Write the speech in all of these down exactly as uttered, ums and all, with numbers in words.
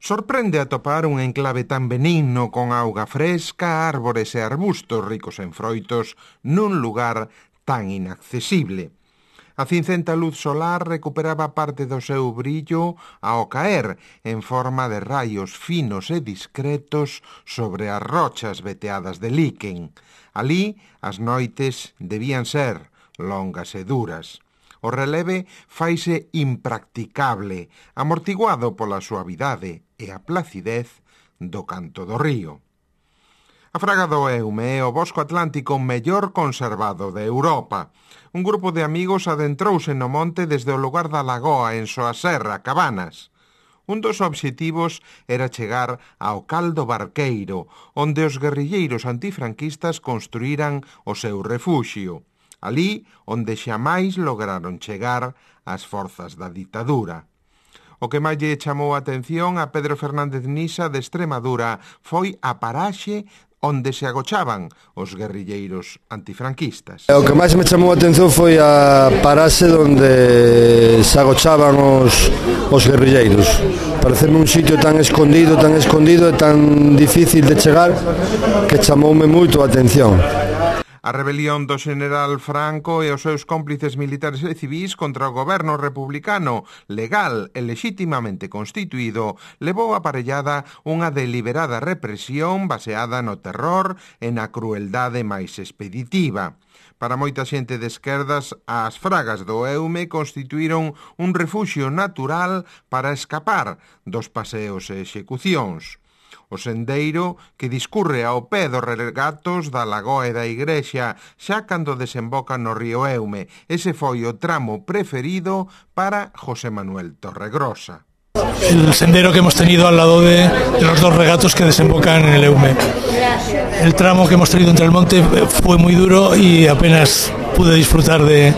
Sorprende atopar un enclave tan benigno con auga fresca, árbores e arbustos ricos en froitos nun lugar tan inaccesible. A cincenta luz solar recuperaba parte do seu brillo ao caer en forma de raios finos e discretos sobre as rochas veteadas de líquen. Alí as noites debían ser longas e duras. O releve faise impracticable, amortiguado pola suavidade e a placidez do canto do río. A Fraga do Eume é o bosco atlántico mellor conservado de Europa. Un grupo de amigos adentrouse no monte desde o lugar da lagoa en Soaserra, Cabanas. Un dos obxectivos era chegar ao Cal do Barqueiro, onde os guerrilleiros antifranquistas construíran o seu refuxio. Alí onde xamais lograron chegar as forzas da ditadura. O que máis lle chamou a atención a Pedro Fernández Nisa de Extremadura foi a paraxe onde se agochaban os guerrilleiros antifranquistas. O que máis me chamou a atención foi a paraxe onde se agochaban os, os guerrilleiros. Pareceme un sitio tan escondido, tan escondido e tan difícil de chegar que chamoume moito a atención. A rebelión do xeneral Franco e os seus cómplices militares e civís contra o goberno republicano, legal e lexitimamente constituído, levou aparellada unha deliberada represión baseada no terror e na crueldade máis expeditiva. Para moita xente de esquerdas, as Fragas do Eume constituíron un refuxio natural para escapar dos paseos e execucións. O sendeiro que discurre ao pé dos regatos da lagoa e da igrexa xa cando desemboca no río Eume. Ese foi o tramo preferido para José Manuel Torregrosa. El sendero que hemos tenido al lado de, de los dos regatos que desembocan en el Eume. El tramo que hemos tenido entre el monte fue muy duro y apenas pude disfrutar de,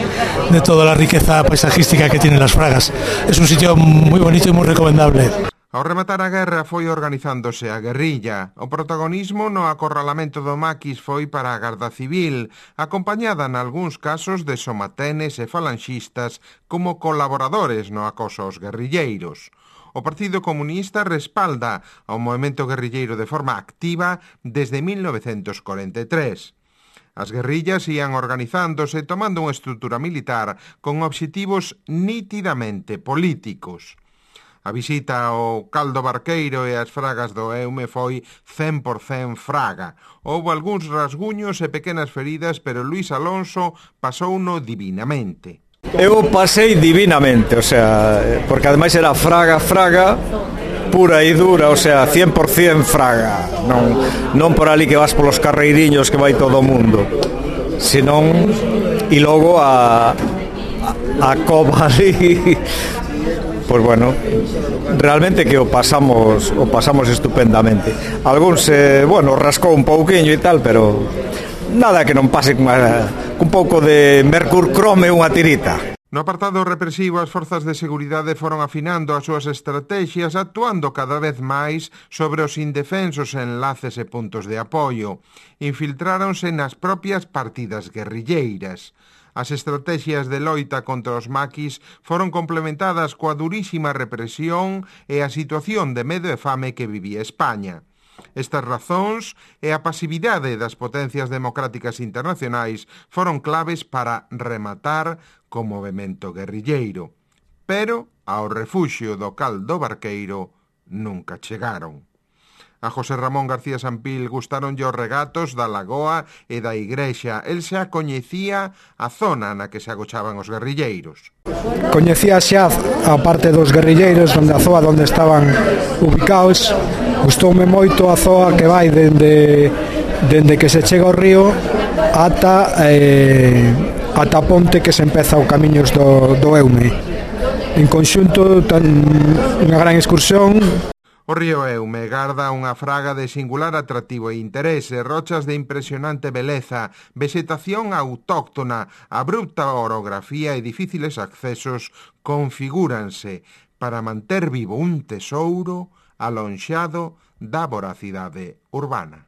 de toda la riqueza paisajística que tienen las Fragas. Es un sitio muy bonito y muy recomendable. Ao rematar a guerra foi organizándose a guerrilla. O protagonismo no acorralamento do Maquis foi para a Garda Civil, acompañada nalgúns casos de somatenes e falanxistas como colaboradores no acoso aos guerrilleiros. O Partido Comunista respalda ao movemento guerrilleiro de forma activa desde mil novecentos corenta e tres. As guerrillas ían organizándose tomando unha estrutura militar con obxectivos nítidamente políticos. A visita ao Cal do Barqueiro e as Fragas do Eume foi cen por cen fraga. Houbo algúns rasguños e pequenas feridas, pero Luis Alonso pasouno divinamente. Eu pasei divinamente, o sea, porque ademais era fraga, fraga, pura e dura, o sea, cien por cen fraga. Non, non por ali que vas polos carreiriños que vai todo o mundo, senón, e logo a, a, a cova ali... Pois bueno, realmente que o pasamos o pasamos estupendamente. Algúns, eh, bueno, rascou un pouquiño e tal, pero nada que non pase con, un pouco de mercurcrome unha tirita. No apartado represivo, as forzas de seguridade foron afinando as súas estrategias, actuando cada vez máis sobre os indefensos enlaces e puntos de apoio. Infiltráronse nas propias partidas guerrilleiras. As estrategias de loita contra os maquis foron complementadas coa durísima represión e a situación de medo e fame que vivía España. Estas razóns e a pasividade das potencias democráticas internacionais foron claves para rematar co movemento guerrilleiro. Pero ao refuxio do Cal do Barqueiro nunca chegaron. A José Ramón García Sampil gustaronlle os regatos da lagoa e da igrexa. El xa coñecía a zona na que se agochaban os guerrilleiros. Coñecía xa a parte dos guerrilleiros, onde a zoa onde estaban ubicados. Gustoume moito a zoa que vai dende, dende que se chega ao río ata, eh, ata a ponte que se empeza o camiños do, do Eume. En conxunto, tan, unha gran excursión. O río Eume garda unha fraga de singular atractivo e interese, rochas de impresionante beleza, vegetación autóctona, abrupta orografía e difíciles accesos configúranse para manter vivo un tesouro alonxado da voracidade urbana.